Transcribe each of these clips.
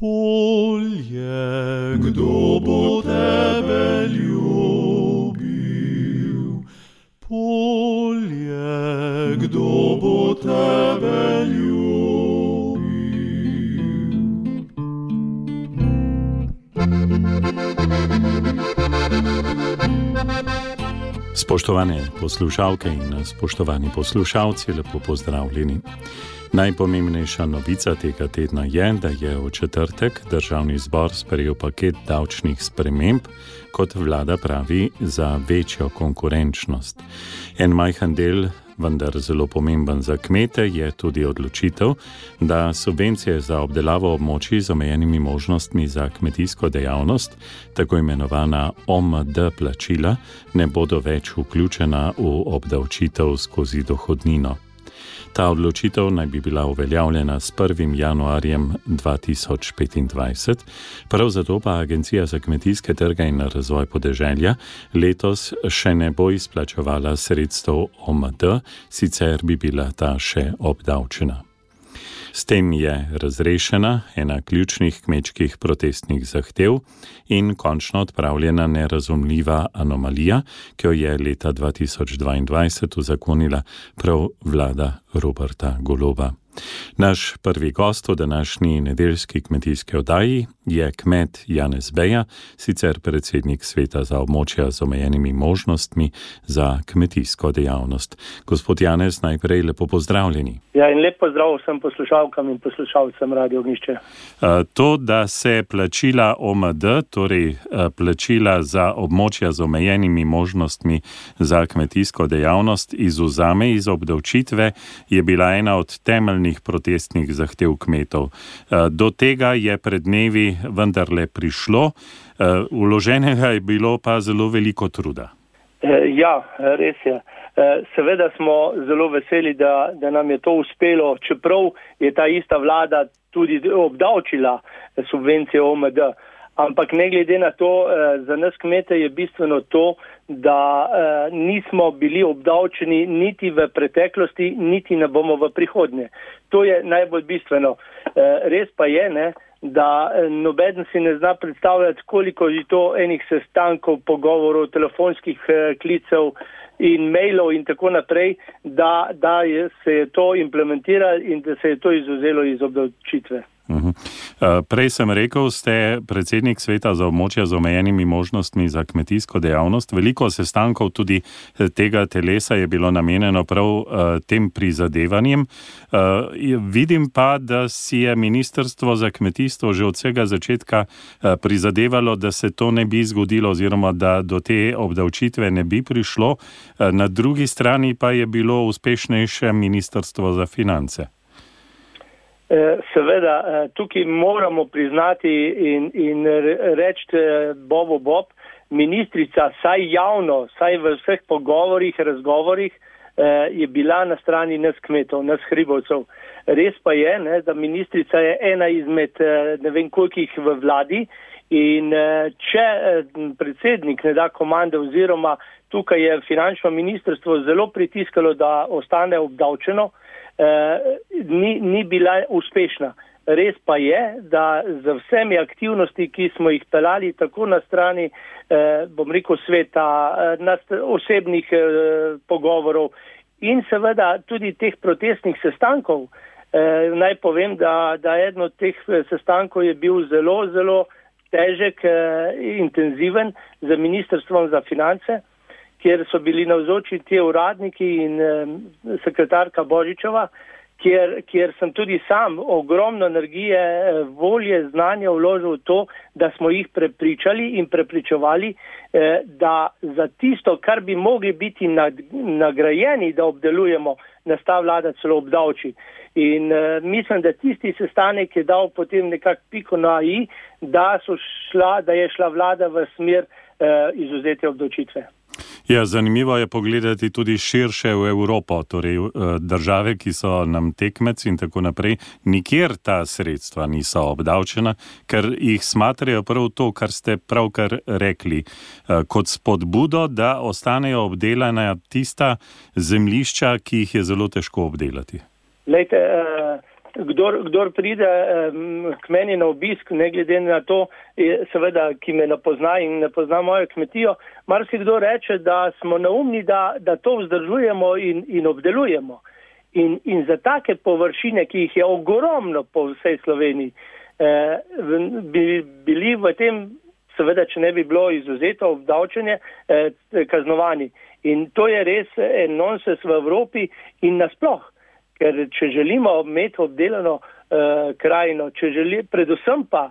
Polje, kdo bo tebe ljubil? Polje, kdo bo tebe ljubil? Spoštovane poslušalke in spoštovani poslušalci, lepo pozdravljeni. Najpomembnejša novica tega tedna je, da je v četrtek Državni zbor sprejel paket davčnih sprememb, kot vlada pravi, za večjo konkurenčnost. En majhen del, vendar zelo pomemben za kmete, je tudi odločitev, da subvencije za obdelavo območij z omejenimi možnostmi za kmetijsko dejavnost, tako imenovana OMD plačila, ne bodo več vključena v obdavčitev skozi dohodnino. Ta odločitev naj bi bila uveljavljena s 1. januarjem 2025, prav zato pa Agencija za kmetijske trge in razvoj podeželja letos še ne bo izplačevala sredstev OMD, sicer bi bila ta še obdavčena. S tem je razrešena ena ključnih kmečkih protestnih zahtev in končno odpravljena nerazumljiva anomalija, ki jo je leta 2022 uzakonila prav vlada Roberta Goloba. Naš prvi gost v današnji nedeljski kmetijski oddaji je kmet Janez Beja, sicer predsednik sveta za območja z omejenimi možnostmi za kmetijsko dejavnost. Gospod Janez, najprej lepo pozdravljeni. Ja, in lep pozdrav vsem poslušalkam in poslušalcem Radio Ognjišče. To, da se plačila OMD, torej plačila za območja z omejenimi možnostmi za kmetijsko dejavnost, izvzame iz obdavčitve, je bila ena od temeljnih protestnih zahtev kmetov. Do tega je pred dnevi vendarle prišlo, vloženega je bilo pa zelo veliko truda. Ja, res je. Seveda smo zelo veseli, da nam je to uspelo, čeprav je ta ista vlada tudi obdavčila subvencije OMD. Ampak ne glede na to, za nas kmete je bistveno to, da nismo bili obdavčeni niti v preteklosti, niti ne bomo v prihodnje. To je najbolj bistveno. Res pa je, da nobeden si ne zna predstavljati, koliko je to enih sestankov, pogovorov, telefonskih klicev in mailov in tako naprej, da se je to implementiralo in da se je to izvzelo iz obdavčitve. Prej sem rekel, ste predsednik sveta za območja z omejenimi možnostmi za kmetijsko dejavnost. Veliko sestankov tudi tega telesa je bilo namenjeno prav tem prizadevanjem. Vidim pa, da si je Ministrstvo za kmetijstvo že od vsega začetka prizadevalo, da se to ne bi zgodilo oziroma da do te obdavčitve ne bi prišlo. Na drugi strani pa je bilo uspešnejše Ministrstvo za finance. Seveda, tukaj moramo priznati in reči Bob, ministrica saj javno, saj v vseh pogovorih, razgovorih je bila na strani nas kmetov, nas hribovcev. Res pa je, da ministrica je ena izmed ne vem kolikih v vladi in če predsednik ne da komande oziroma tukaj je finančno ministrstvo zelo pritiskalo, da ostane obdavčeno, ni bila uspešna. Res pa je, da z vsemi aktivnosti, ki smo jih pelali tako na strani, sveta, osebnih pogovorov in seveda tudi teh protestnih sestankov, naj povem, da eden od teh sestankov je bil zelo, zelo težek, intenziven z Ministrstvom za finance, kjer so bili navzoči ti uradniki in sekretarka Božičeva, kjer sem tudi sam ogromno energije, volje, znanja vložil v to, da smo jih prepričali in prepričevali, da za tisto, kar bi mogli biti nagrajeni, da obdelujemo, nas ta vlada celo obdavči. In mislim, da tisti sestanek je dal potem nekako piko na i, da je šla vlada v smer izvzete obdavčitve. Ja, zanimivo je pogledati tudi širše v Evropo, torej države, ki so nam tekmeci in tako naprej, nikjer ta sredstva niso obdavčena, ker jih smatrajo prav to, kar ste pravkar rekli, kot spodbudo, da ostanejo obdelana tista zemljišča, ki jih je zelo težko obdelati. Lejte, kdor pride k meni na obisk, ne glede na to, seveda, ki me ne pozna in ne pozna mojo kmetijo, marsikdo reče, da smo neumni, da to vzdržujemo in obdelujemo. In za take površine, ki jih je ogromno po vsej Sloveniji, bi bili v tem, seveda, če ne bi bilo izuzeto obdavčenje, kaznovani. In to je res en nonsens v Evropi in nasploh. Ker če želimo imeti obdelano krajino, predvsem pa,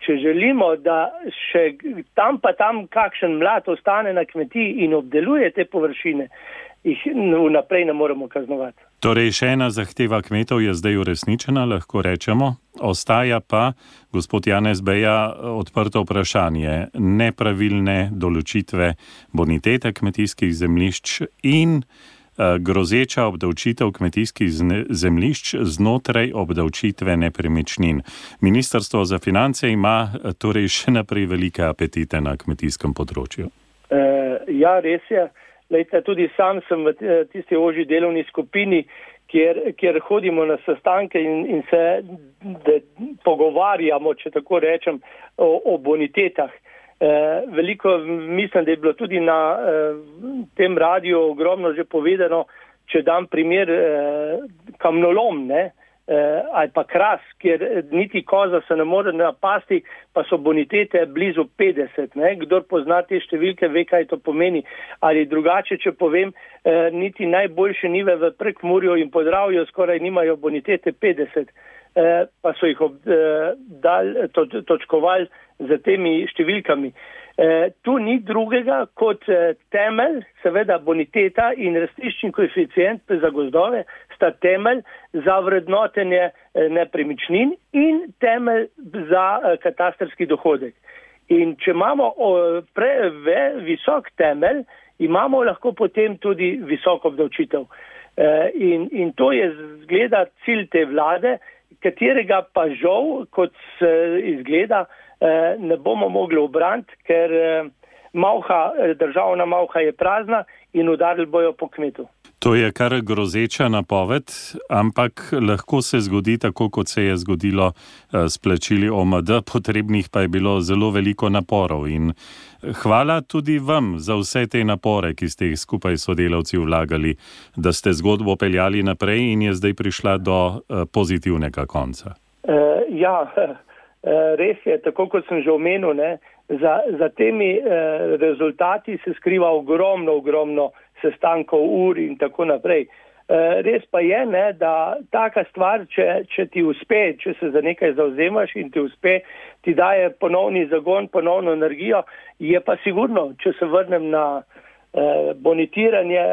če želimo, da še tam kakšen mlad ostane na kmetiji in obdeluje te površine, jih vnaprej ne moremo kaznovati. Torej, še ena zahteva kmetov je zdaj uresničena, lahko rečemo. Ostaja pa, gospod Janez Beja, odprto vprašanje nepravilne določitve bonitete kmetijskih zemljišč in grozeča obdavčitev kmetijskih zemljišč znotraj obdavčitve nepremičnin. Ministrstvo za finance ima torej še naprej velike apetite na kmetijskem področju. Ja, res je. Lejte, tudi sam sem v tisti ožji delovni skupini, kjer hodimo na sestanke in se pogovarjamo, če tako rečem, o bonitetah. Veliko mislim, da je bilo tudi na tem radiju ogromno že povedano, če dam primer kamnolom, ne, ali pa kras, kjer niti koza se ne more napasti, pa so bonitete blizu 50. Ne. Kdor pozna te številke, ve, kaj to pomeni. Ali drugače, če povem, niti najboljše njive v Prekmurju in Podravju skoraj nimajo bonitete 50. Pa so jih točkovali z temi številkami. Tu ni drugega kot temelj, seveda boniteta in rastiščni koeficient za gozdove sta temelj za vrednotenje nepremičnin in temelj za katastrski dohodek. In če imamo visok temelj, imamo lahko potem tudi visoko obdavčitev. In to je zgleda cilj te vlade, katerega pa žal, kot se izgleda, ne bomo mogli obraniti, ker državna malha je prazna in udarili bojo po kmetu. To je kar grozeča napoved, ampak lahko se zgodi tako, kot se je zgodilo s plačili OMD, potrebnih pa je bilo zelo veliko naporov. In hvala tudi vam za vse te napore, ki ste jih skupaj s sodelavci vlagali, da ste zgodbo peljali naprej in je zdaj prišla do pozitivnega konca. Ja, res je, tako kot sem že omenil, ne, za temi rezultati se skriva ogromno sestankov, ur in tako naprej. Res pa je, ne, da taka stvar, če ti uspe, če se za nekaj zavzemaš in ti uspe, ti daje ponovni zagon, ponovno energijo, je pa sigurno, če se vrnem na bonitiranje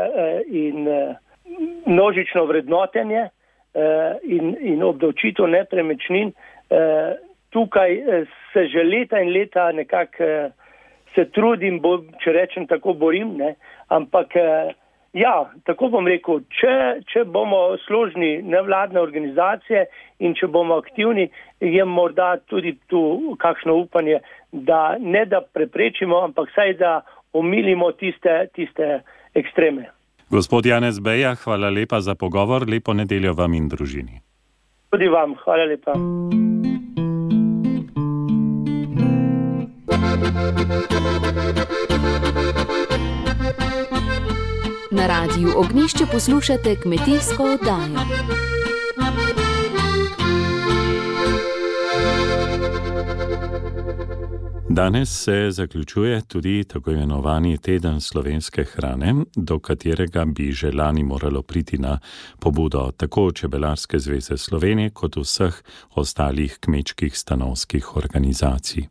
in množično vrednotenje in obdavčitev nepremičnin, tukaj se že leta in leta nekako se trudim, če rečem tako, borim, ne, ampak ja, tako bom rekel, če bomo složni nevladne organizacije in če bomo aktivni, je morda tudi tu kakšno upanje, da ne da preprečimo, ampak saj da omilimo tiste ekstreme. Gospod Janez Beja, hvala lepa za pogovor, lepo nedeljo vam in družini. Tudi vam, hvala lepa. Na Radiu Ognjišče poslušate kmetijsko oddajo. Danes se zaključuje tudi tako imenovani teden slovenske hrane, do katerega bi že lani moralo priti na pobudo tako Čebelarske zveze Slovenije kot vseh ostalih kmečkih stanovskih organizacij.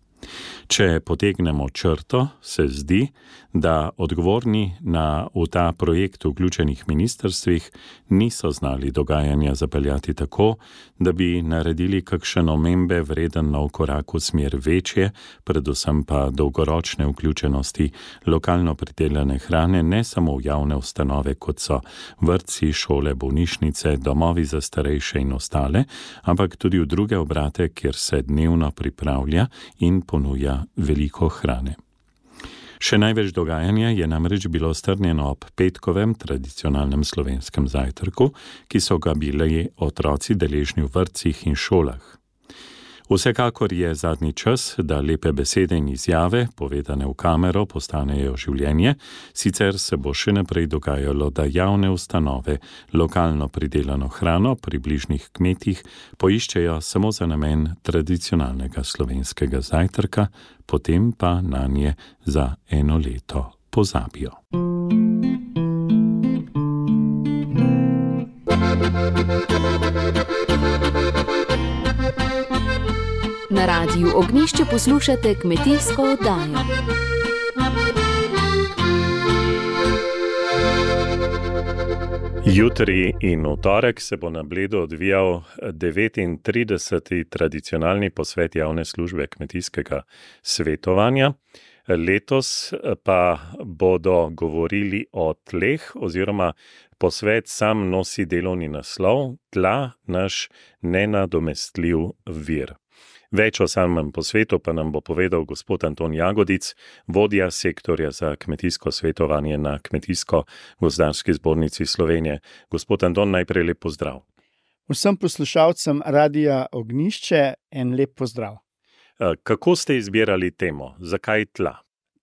Če potegnemo črto, se zdi, da odgovorni v ta projekt vključenih ministrstvih niso znali dogajanja zapeljati tako, da bi naredili kakšen omembe vreden nov korak v smer večje, predvsem pa dolgoročne vključenosti lokalno pridelane hrane ne samo v javne ustanove, kot so vrtci, šole, bolnišnice, domovi za starejše in ostale, ampak tudi v druge obrate, kjer se dnevno pripravlja in ponuja veliko hrane. Še največ dogajanja je namreč bilo strnjeno ob petkovem tradicionalnem slovenskem zajtrku, ki so ga bili otroci deležni v vrtcih in šolah. Vsekakor je zadnji čas, da lepe besede in izjave, povedane v kamero, postanejo življenje, sicer se bo še naprej dogajalo, da javne ustanove lokalno pridelano hrano pri bližnjih kmetih poiščejo samo za namen tradicionalnega slovenskega zajtrka, potem pa nanje za eno leto pozabijo. Na Radiu Ognjišče poslušate kmetijsko oddajo. Jutri in v torek se bo na Bledu odvijal 39. tradicionalni posvet javne službe kmetijskega svetovanja. Letos pa bodo govorili o tleh oziroma posvet sam nosi delovni naslov Tla, naš nenadomestljiv vir. Več o samem posvetu pa nam bo povedal gospod Anton Jagodic, vodja sektorja za kmetijsko svetovanje na Kmetijsko-gozdarski zbornici Slovenije. Gospod Anton, najprej lep pozdrav. Vsem poslušalcem Radia Ognjišče en lep pozdrav. Kako ste izbirali temo? Zakaj tla?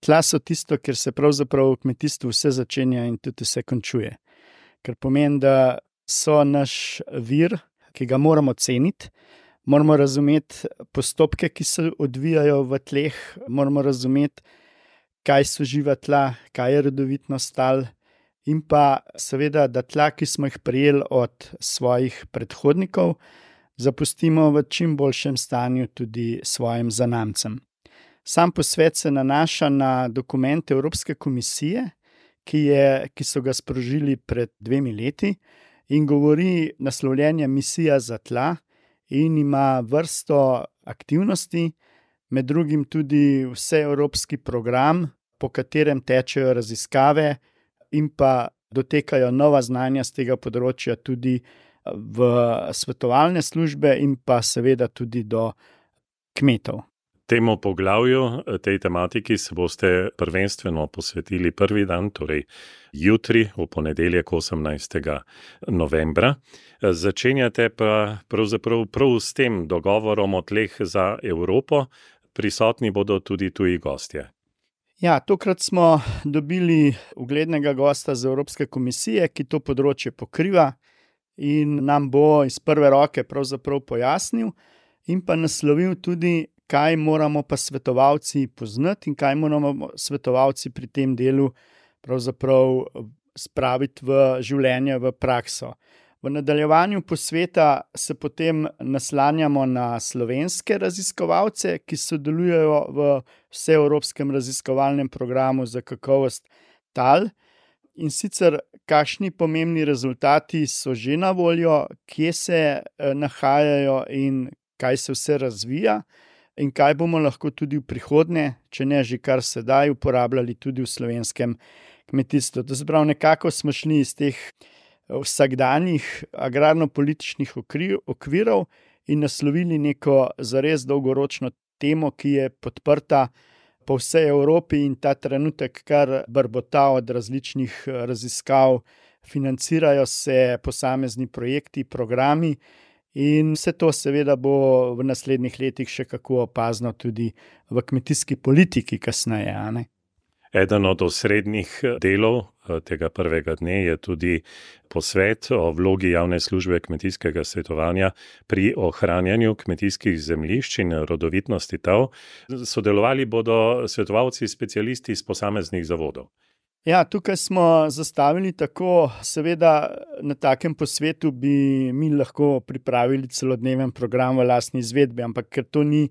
Tla so tisto, kjer se pravzaprav v kmetijstvu vse začenja in tudi vse končuje. Ker pomeni, da so naš vir, ki ga moramo ceniti, moramo razumeti postopke, ki se odvijajo v tleh, moramo razumeti, kaj so živa tla, kaj je rodovitnost tal in pa seveda, da tla, ki smo jih prejeli od svojih predhodnikov, zapustimo v čim boljšem stanju tudi svojim zanamcem. Sam posvet se nanaša na dokumente Evropske komisije, ki so ga sprožili pred 2 leti in govori naslovljenje Misija za tla, in ima vrsto aktivnosti, med drugim tudi vseevropski program, po katerem tečejo raziskave in pa dotekajo nova znanja z tega področja tudi v svetovalne službe in pa seveda tudi do kmetov. Temu poglavju, tej tematiki se boste prvenstveno posvetili prvi dan, torej jutri, v ponedeljek 18. novembra. Začenjate pa pravzaprav prav s tem dogovorom o tleh za Evropo. Prisotni bodo tudi tuji gostje. Ja, tokrat smo dobili uglednega gosta z Evropske komisije, ki to področje pokriva in nam bo iz prve roke pravzaprav pojasnil in pa naslovil tudi, kaj moramo pa svetovalci poznati in kaj moramo svetovalci pri tem delu pravzaprav spraviti v življenje, v prakso. V nadaljevanju posveta se potem naslanjamo na slovenske raziskovalce, ki sodelujejo v vseevropskem raziskovalnem programu za kakovost tal. In sicer, kakšni pomembni rezultati so že na voljo, kje se nahajajo in kaj se vse razvija. In kaj bomo lahko tudi v prihodnje, če ne že kar sedaj, uporabljali tudi v slovenskem kmetijstvu. To se pravi, nekako smo šli iz teh vsakdanjih agrarno-političnih okvirov in naslovili neko zares dolgoročno temo, ki je podprta po vsej Evropi in ta trenutek kar brbota od različnih raziskav, financirajo se posamezni projekti, programi. In vse to seveda bo v naslednjih letih še kako opazno tudi v kmetijski politiki kasneje. Eden od osrednjih delov tega prvega dne je tudi posvet o vlogi javne službe kmetijskega svetovanja pri ohranjanju kmetijskih zemljišč in rodovitnosti tal. Sodelovali bodo svetovalci specialisti iz posameznih zavodov. Ja, tukaj smo zastavili tako, seveda na takem posvetu bi mi lahko pripravili celodneven program v lastni izvedbi, ampak ker to ni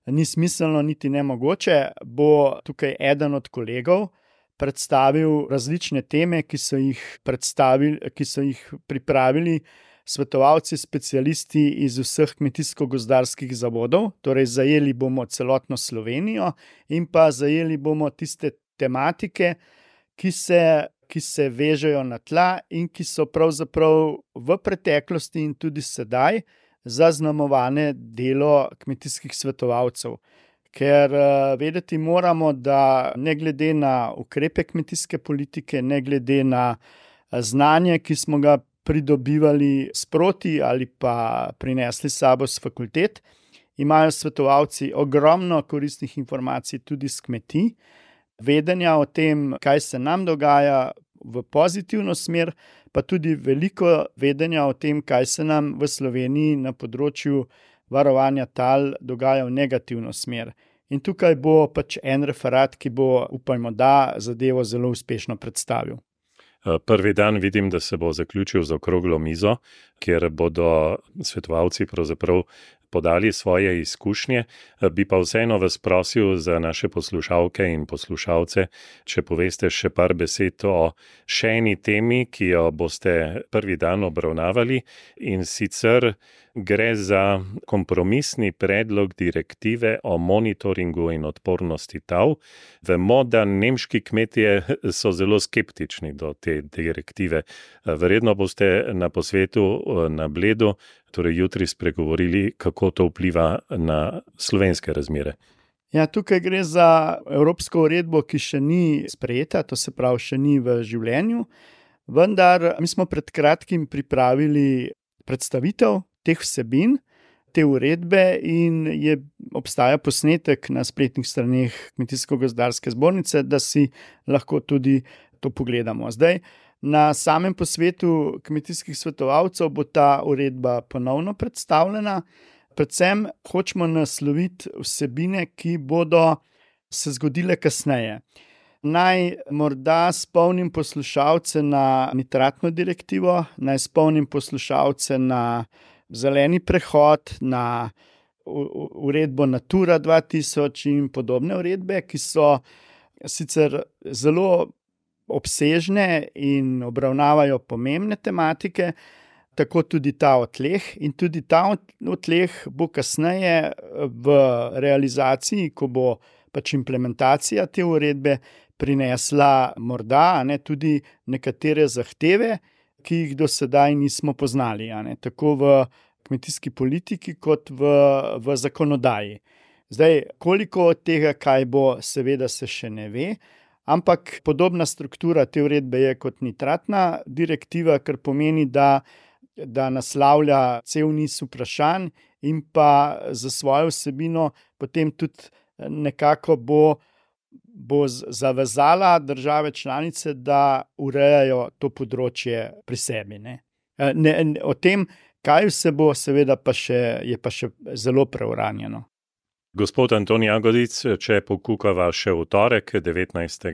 smiselno niti nemogoče, bo tukaj eden od kolegov predstavil različne teme, ki so jih pripravili svetovalci, specialisti iz vseh kmetijsko-gozdarskih zavodov, torej zajeli bomo celotno Slovenijo in pa zajeli bomo tiste tematike, ki se vežejo na tla in ki so pravzaprav v preteklosti in tudi sedaj zaznamovane delo kmetijskih svetovalcev. ker vedeti moramo, da ne glede na ukrepe kmetijske politike, ne glede na znanje, ki smo ga pridobivali sproti ali pa prinesli s sabo s fakultet, imajo svetovalci ogromno koristnih informacij tudi s kmetij, vedenja o tem, kaj se nam dogaja v pozitivno smer, pa tudi veliko vedenja o tem, kaj se nam v Sloveniji na področju varovanja tal dogaja v negativno smer. In tukaj bo pač en referat, ki bo, upajmo, da zadevo zelo uspešno predstavil. Prvi dan vidim, da se bo zaključil z okroglo mizo, kjer bodo svetovalci pravzaprav podali svoje izkušnje. Bi pa vseeno vas prosil za naše poslušalke in poslušalce, če poveste še par besed o še eni temi, ki jo boste prvi dan obravnavali, in sicer gre za kompromisni predlog direktive o monitoringu in odpornosti tal. Vemo, da nemški kmetje so zelo skeptični do te direktive. Verjetno boste na posvetu na Bledu, torej jutri, spregovorili, kako to vpliva na slovenske razmere. Ja, tukaj gre za evropsko uredbo, ki še ni sprejeta, to se pravi, še ni v življenju, vendar mi smo pred kratkim pripravili predstavitev teh vsebin, te uredbe, in obstaja posnetek na spletnih straneh Kmetijsko-gozdarske zbornice, da si lahko tudi to pogledamo. Zdaj, na samem posvetu kmetijskih svetovalcev bo ta uredba ponovno predstavljena. Predvsem hočemo nasloviti vsebine, ki bodo se zgodile kasneje. Naj morda spomnim poslušalce na nitratno direktivo, naj spomnim poslušalce na zeleni prehod, na uredbo Natura 2000 in podobne uredbe, ki so sicer zelo obsežne in obravnavajo pomembne tematike, tako tudi ta o tleh. In tudi ta o tleh bo kasneje v realizaciji, ko bo pač implementacija te uredbe, prinesla morda tudi nekatere zahteve, ki jih do sedaj nismo poznali, tako v kmetijski politiki kot v zakonodaji. Zdaj, koliko od tega, kaj bo, seveda se še ne ve, ampak podobna struktura te uredbe je kot nitratna direktiva, kar pomeni, da naslavlja cel niz vprašanj in pa za svojo vsebino potem tudi nekako bo zavezala države članice, da urejajo to področje pri sebi. O tem, kaj vse bo, seveda je pa še zelo preuranjeno. Gospod Anton Jagodic, če pokukava še v torek, 19.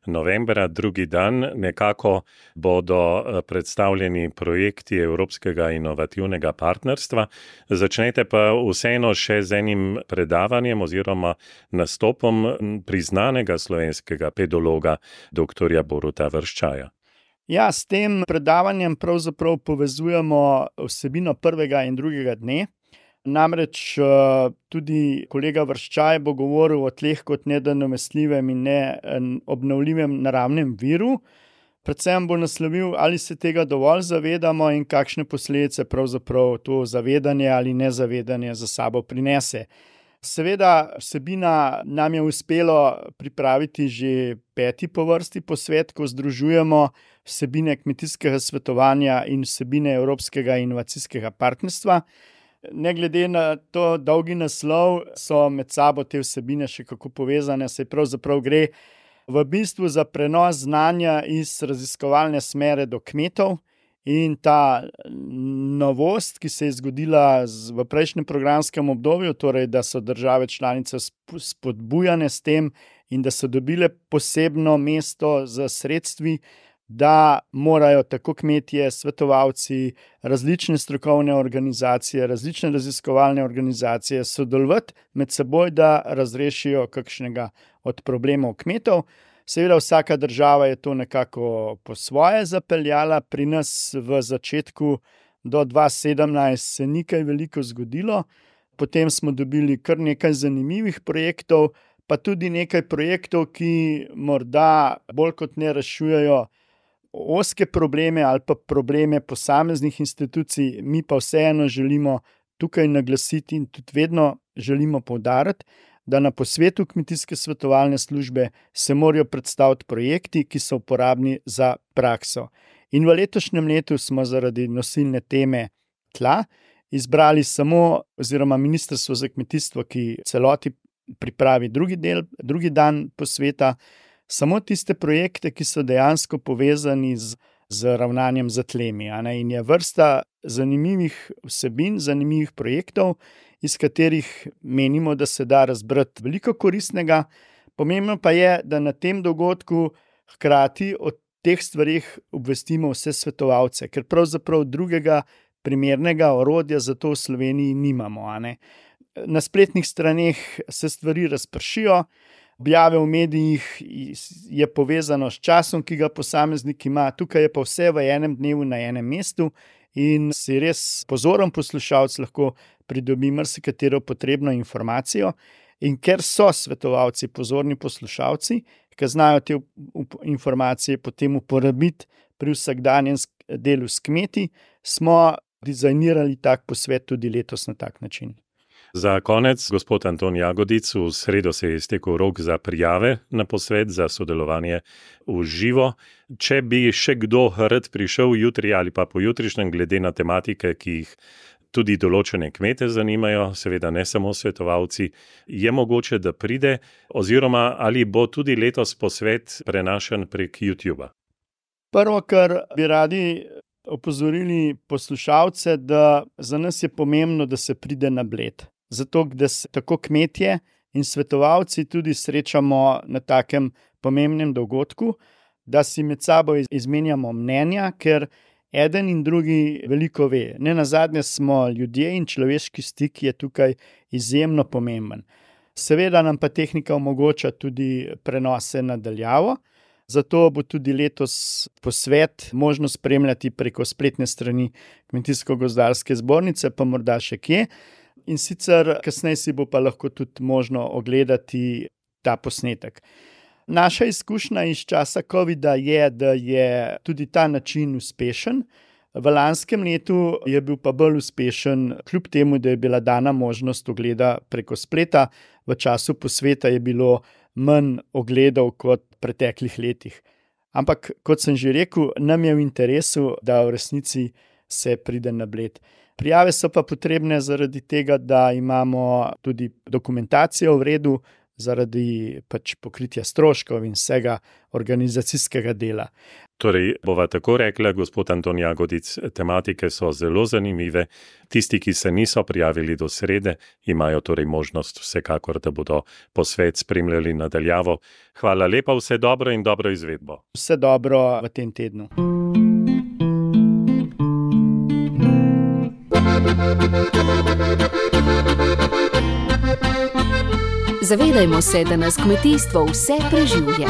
novembra, drugi dan, nekako bodo predstavljeni projekti Evropskega inovativnega partnerstva. Začnete pa vseeno še z enim predavanjem oziroma nastopom priznanega slovenskega pedologa, dr. Boruta Vrščaja. Ja, s tem predavanjem pravzaprav povezujemo vsebino prvega in drugega dne. Namreč tudi kolega Vrščaj bo govoril o tleh kot nenadomestljivem in neobnovljivem naravnem viru. Predvsem bo naslovil, ali se tega dovolj zavedamo in kakšne posledice pravzaprav to zavedanje ali nezavedanje za sabo prinese. Seveda, vsebina nam je uspelo pripraviti že 5. po vrsti posvet, ko združujemo vsebine kmetijskega svetovanja in vsebine Evropskega inovacijskega partnerstva. Ne glede na to dolgi naslov, so med sabo te vsebine še kako povezane, saj pravzaprav gre v bistvu za prenos znanja iz raziskovalne smere do kmetov, in ta novost, ki se je zgodila v prejšnjem programskem obdobju, torej da so države članice spodbujane s tem in da so dobile posebno mesto za sredstvi, da morajo tako kmetje, svetovalci, različne strokovne organizacije, različne raziskovalne organizacije sodelovati med seboj, da razrešijo kakšnega od problemov kmetov. Seveda vsaka država je to nekako po svoje zapeljala. Pri nas v začetku do 2017 se ni kaj veliko zgodilo. Potem smo dobili kar nekaj zanimivih projektov, pa tudi nekaj projektov, ki morda bolj kot ne rešujejo ozke probleme ali pa probleme posameznih institucij. Mi pa vseeno želimo tukaj naglasiti in tudi vedno želimo poudariti, da na posvetu kmetijske svetovalne službe se morajo predstaviti projekti, ki so uporabni za prakso. In v letošnjem letu smo zaradi nosilne teme tla izbrali samo, oziroma Ministrstvo za kmetijstvo, ki celoti pripravi drugi dan posveta, samo tiste projekte, ki so dejansko povezani z ravnanjem z tlemi. In je vrsta zanimivih vsebin, zanimivih projektov, iz katerih menimo, da se da razbrati veliko koristnega. Pomembno pa je, da na tem dogodku hkrati o teh stvarih obvestimo vse svetovalce, ker pravzaprav drugega primernega orodja za to v Sloveniji nimamo. Na spletnih straneh se stvari razpršijo, objave v medijih je povezano s časom, ki ga posameznik ima, tukaj je pa vse v enem dnevu na enem mestu in si res pozoren poslušalec lahko pridobi marsikatero potrebno informacijo. In ker so svetovalci pozorni poslušalci, ki znajo te informacije potem uporabiti pri vsakdanjem delu s kmeti, smo dizajnirali tak posvet tudi letos na tak način. Za konec, gospod Anton Jagodic, v sredo se je iztekel rok za prijave na posvet za sodelovanje v živo. Če bi še kdo rad prišel jutri ali pa pojutrišnjem glede na tematike, ki jih tudi določene kmete zanimajo, seveda ne samo svetovalci, je mogoče, da pride, oziroma ali bo tudi letos posvet prenašan prek YouTuba? Prvo, kar bi radi opozorili poslušalce, da za nas je pomembno, da se pride na Bled. Zato, da se tako kmetje in svetovalci tudi srečamo na takem pomembnem dogodku, da si med sabo izmenjamo mnenja, ker eden in drugi veliko ve. Nenazadnje smo ljudje in človeški stik je tukaj izjemno pomemben. Seveda nam pa tehnika omogoča tudi prenose na daljavo, zato bo tudi letos posvet možno spremljati preko spletne strani Kmetijsko-gozdarske zbornice, pa morda še kje. In sicer kasneje si bo pa lahko tudi možno ogledati ta posnetek. Naša izkušnja iz časa covida je, da je tudi ta način uspešen. V lanskem letu je bil pa bolj uspešen, kljub temu, da je bila dana možnost ogleda preko spleta. V času posveta je bilo manj ogledov kot v preteklih letih. Ampak, kot sem že rekel, nam je v interesu, da v resnici se pride na Bled. Prijave so pa potrebne zaradi tega, da imamo tudi dokumentacijo v redu, zaradi pokritja stroškov in vsega organizacijskega dela. Torej, bova tako rekla, gospod Anton Jagodic, tematike so zelo zanimive. Tisti, ki se niso prijavili do srede, imajo torej možnost vsekakor, da bodo posvet spremljali nadaljavo. Hvala lepa, vse dobro in dobro izvedbo. Vse dobro v tem tednu. Zavedajmo se, da nas kmetijstvo vse preživlja.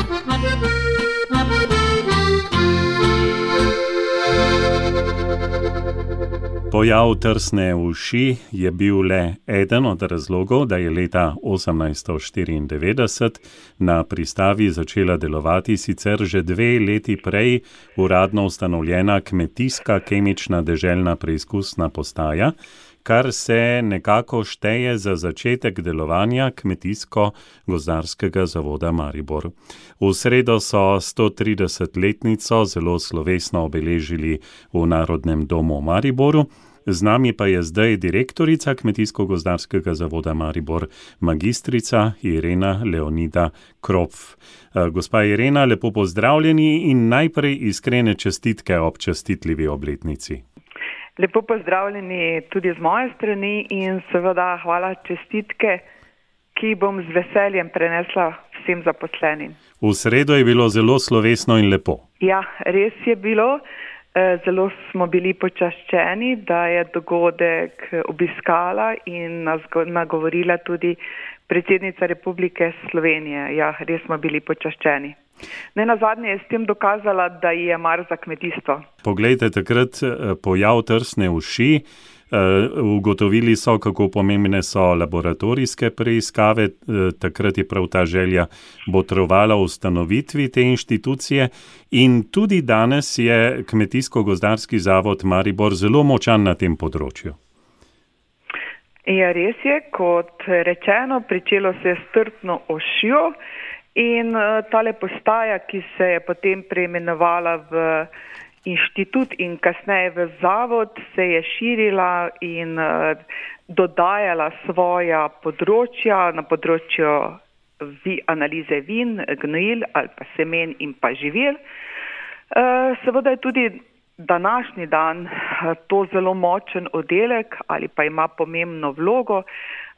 Pojav trsne uši je bil le eden od razlogov, da je leta 1894 na pristavi začela delovati sicer že 2 leti prej uradno ustanovljena kmetijska kemična deželna preizkusna postaja, kar se nekako šteje za začetek delovanja Kmetijsko-gozdarskega zavoda Maribor. V sredo so 130-letnico zelo slovesno obeležili v Narodnem domu Mariboru. Z nami pa je zdaj direktorica Kmetijsko-gozdarskega zavoda Maribor, magistrica Irena Leonida Kropf. Gospa Irena, lepo pozdravljeni in najprej iskrene čestitke ob čestitljivi obletnici. Lepo pozdravljeni tudi z moje strani in seveda hvala čestitke, ki bom z veseljem prenesla vsem zaposlenim. V sredo je bilo zelo slovesno in lepo. Ja, res je bilo. Zelo smo bili počaščeni, da je dogodek obiskala in nas nagovorila tudi predsednica Republike Slovenije. Ja, res smo bili počaščeni. Nenazadnje je s tem dokazala, da je mar za kmetijstvo. Poglejte, takrat pojav trsne uši, ugotovili so, kako pomembne so laboratorijske preiskave, takrat je prav ta želja botrovala ustanovitvi te inštitucije in tudi danes je Kmetijsko-gozdarski zavod Maribor zelo močan na tem področju. Ja, res je, kot rečeno, pričelo se je s Trtno ošjo in tale postaja, ki se je potem preimenovala v inštitut in kasneje v zavod, se je širila in dodajala svoja področja na področju analize vin, gnojil ali pa semen in pa živil. Seveda je tudi današnji dan to zelo močen oddelek ali pa ima pomembno vlogo.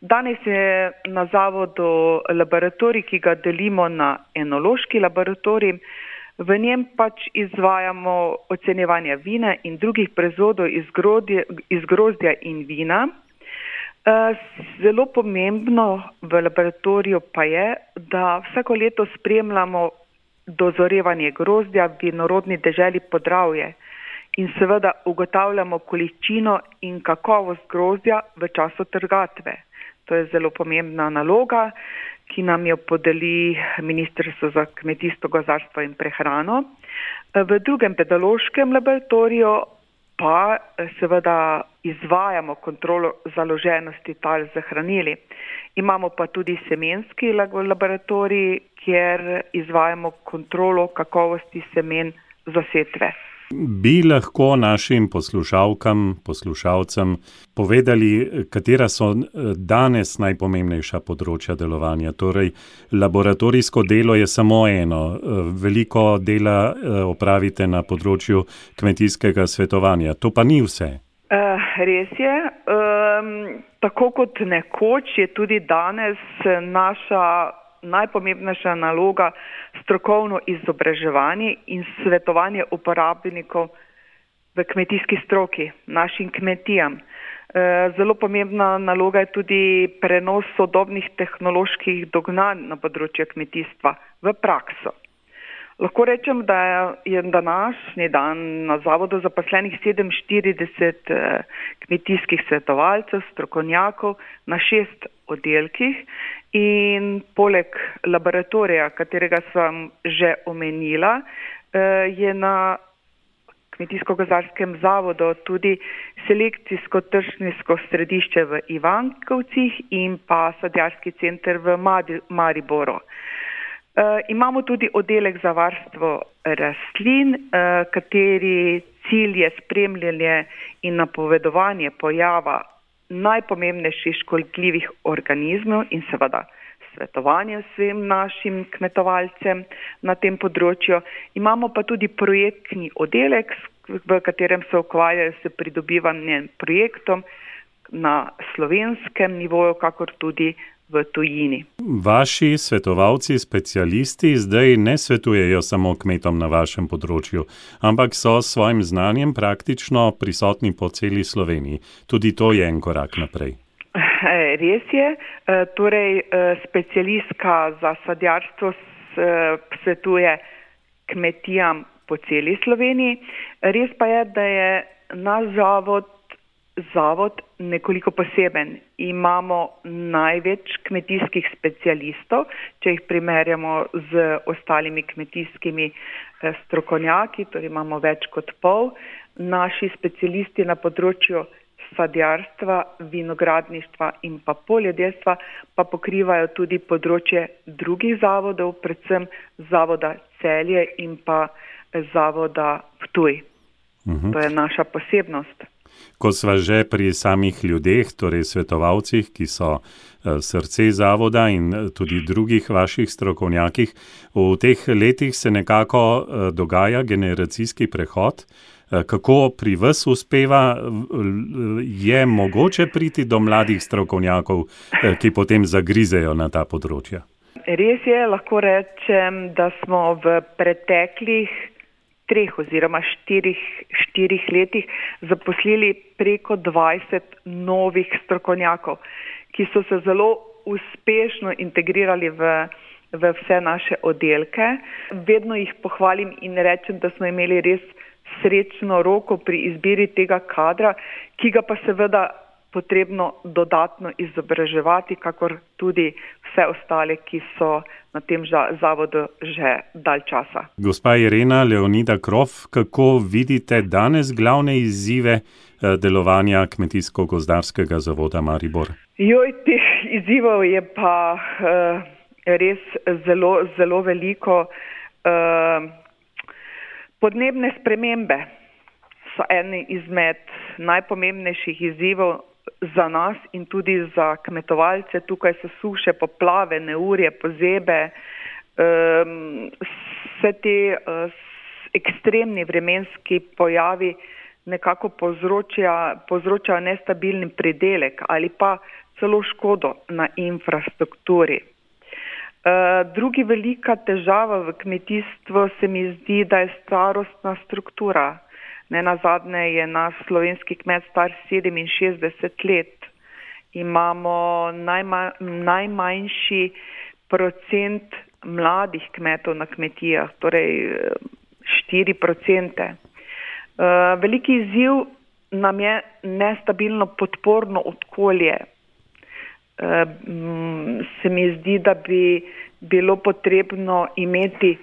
Danes je na zavodu laboratorij, ki ga delimo na enološki laboratorij. V njem pač izvajamo ocenjevanje vina in drugih proizvodov iz grozdja in vina. Zelo pomembno v laboratoriju pa je, da vsako leto spremljamo dozorevanje grozdja v vinorodni deželi Podravje in seveda ugotavljamo količino in kakovost grozdja v času trgatve. To je zelo pomembna naloga, ki nam jo podeli Ministrstvo za kmetijstvo, gozdarstvo in prehrano. V drugem pedološkem laboratoriju pa seveda izvajamo kontrolo založenosti tal z hranili. Imamo pa tudi semenski laboratorij, kjer izvajamo kontrolo kakovosti semen za setve. Bi lahko našim poslušalcem povedali, katera so danes najpomembnejša področja delovanja? Torej, laboratorijsko delo je samo eno. Veliko dela opravite na področju kmetijskega svetovanja. To pa ni vse. Res je. Tako kot nekoč je tudi danes naša najpomembnejša naloga strokovno izobraževanje in svetovanje uporabnikov v kmetijski stroki, našim kmetijam. Zelo pomembna naloga je tudi prenos sodobnih tehnoloških dognanj na področju kmetijstva v prakso. Lahko rečem, da je današnji dan na zavodu zaposlenih 47 kmetijskih svetovalcev, strokovnjakov na 6 oddelkih in poleg laboratorija, katerega sem že omenila, je na Kmetijsko-gozdarskem zavodu tudi selekcijsko-tržniško središče v Ivankovcih in pa sadjarski center v Mariboru. Imamo tudi oddelek za varstvo rastlin, kateri cilj je spremljanje in napovedovanje pojava najpomembnejših škodljivih organizmov in seveda svetovanje vsem našim kmetovalcem na tem področju. Imamo pa tudi projektni oddelek, v katerem se ukvarjajo s pridobivanjem projektom na slovenskem nivoju, kakor tudi v tujini. Vaši svetovalci, specialisti zdaj ne svetujejo samo kmetom na vašem področju, ampak so s svojim znanjem praktično prisotni po celi Sloveniji. Tudi to je en korak naprej. Res je. Torej, specialistka za sadjarstvo svetuje kmetijam po celi Sloveniji. Res pa je, da je naš zavod nekoliko poseben. Imamo največ kmetijskih specialistov, če jih primerjamo z ostalimi kmetijskimi strokovnjaki, torej imamo več kot pol. Naši specialisti na področju sadjarstva, vinogradništva in pa poljedelstva pa pokrivajo tudi področje drugih zavodov, predvsem zavoda Celje in pa zavoda Ptuj. To je naša posebnost. Ko sva že pri samih ljudeh, torej svetovalcih, ki so srce zavoda in tudi drugih vaših strokovnjakih, v teh letih se nekako dogaja generacijski prehod. Kako pri vas uspeva, je mogoče priti do mladih strokovnjakov, ki potem zagrizejo na ta področja? Res je, lahko rečem, da smo v preteklih 3 oziroma 4 letih zaposlili preko 20 novih strokovnjakov, ki so se zelo uspešno integrirali v vse naše oddelke. Vedno jih pohvalim in rečem, da smo imeli res srečno roko pri izbiri tega kadra, ki ga pa seveda potrebno dodatno izobraževati, kakor tudi vse ostale, ki so na tem zavodu že dalj časa. Gospa Irena Leonida Krof, kako vidite danes glavne izzive delovanja Kmetijsko-gozdarskega zavoda Maribor? Teh izzivov je pa res zelo, zelo veliko. Podnebne spremembe so eni izmed najpomembnejših izzivov za nas in tudi za kmetovalce. Tukaj so suše, poplave, neurje, pozebe, vse te ekstremni vremenski pojavi nekako povzročajo nestabilni pridelek ali pa celo škodo na infrastrukturi. Drugi velika težava v kmetijstvu se mi zdi, da je starostna struktura. Nenazadnje je naš slovenski kmet star 67 let. Imamo najmanjši procent mladih kmetov na kmetijah, torej 4%. Veliki izziv nam je nestabilno podporno okolje. Se mi zdi, da bi bilo potrebno imeti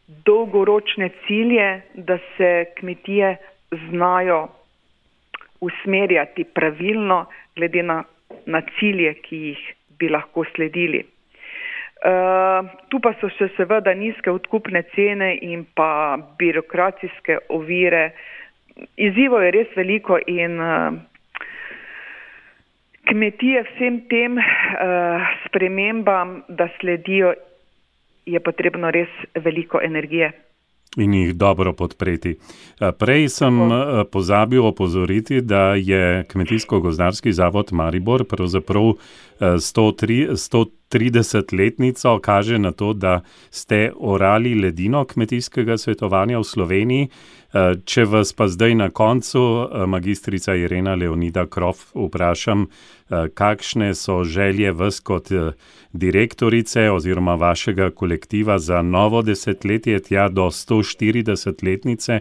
dolgoročne cilje, da se kmetije znajo usmerjati pravilno glede na cilje, ki jih bi lahko sledili. Tu pa so še seveda nizke odkupne cene in pa birokratske ovire. Izzivov je res veliko in kmetije vsem tem spremembam, da sledijo, je potrebno res veliko energije. In jih dobro podpreti. Prej sem pozabil opozoriti, da je Kmetijsko-gozdarski zavod Maribor pravzaprav 130-letnico kaže na to, da ste orali ledino kmetijskega svetovanja v Sloveniji. Če vas pa zdaj na koncu, magistrica Irena Leonida Krof, vprašam, kakšne so želje vas kot direktorice oziroma vašega kolektiva za novo desetletje, tja do 140-letnice.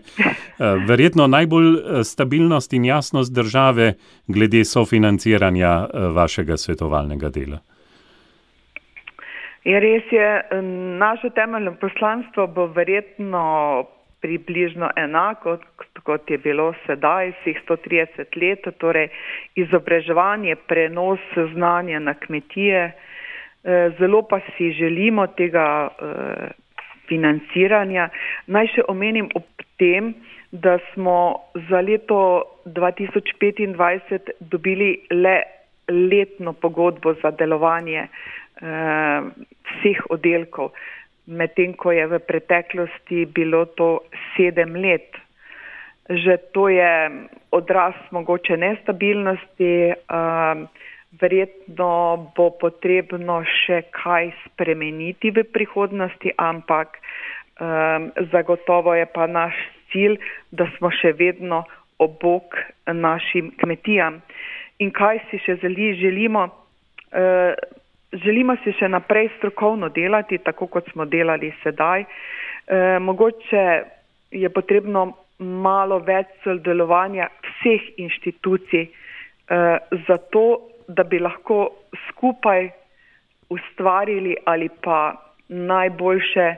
Verjetno najbolj stabilnost in jasnost države glede sofinanciranja vašega svetovalnega dela. Res je, naše temeljno poslanstvo bo verjetno približno enako, kot je bilo sedaj, vseh 130 let, torej izobraževanje, prenos znanja na kmetije. Zelo pa si želimo tega financiranja. Naj še omenim ob tem, da smo za leto 2025 dobili le letno pogodbo za delovanje vseh oddelkov, medtem ko je v preteklosti bilo to 7 let. Že to je odraz mogoče nestabilnosti, verjetno bo potrebno še kaj spremeniti v prihodnosti, ampak zagotovo je pa naš cilj, da smo še vedno ob bok našim kmetijam. In kaj si še želimo? Želimo si še naprej strokovno delati, tako kot smo delali sedaj. Mogoče je potrebno malo več sodelovanja vseh inštitucij, zato da bi lahko skupaj ustvarili ali pa najboljše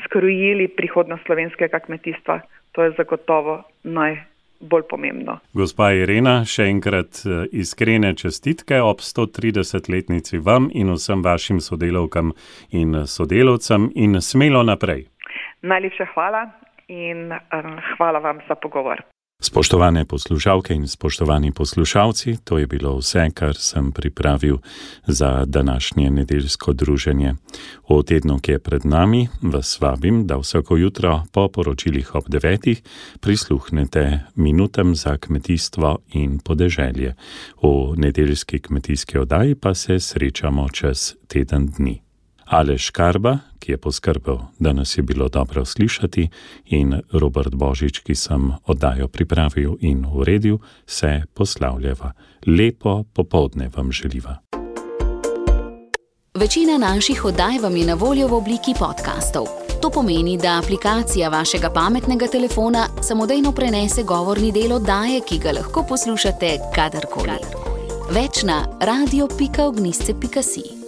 skrojili prihodnost slovenskega kmetijstva. To je zagotovo najbolj pomembno. Gospa Irena, še enkrat iskrene čestitke ob 130-letnici vam in vsem vašim sodelavkam in sodelavcem in smelo naprej. Najlepša hvala in hvala vam za pogovor. Spoštovane poslušalke in spoštovani poslušalci, to je bilo vse, kar sem pripravil za današnje nedeljsko druženje. V tednu, ki je pred nami, vas vabim, da vsako jutro po poročilih ob 9 prisluhnete minutam za kmetijstvo in podeželje. V nedeljski kmetijski oddaji pa se srečamo čez teden dni. Aleš Karba, ki je poskrbel, da nas je bilo dobro slišati, in Robert Božič, ki sem oddajo pripravil in uredil, se poslavljava. Lepo popoldne vam želiva. Večina naših oddaj vam je na voljo v obliki podcastov. To pomeni, da aplikacija vašega pametnega telefona samodejno prenese govorni del oddaje, ki ga lahko poslušate kadarkoli. Več na radio.ognisce.si.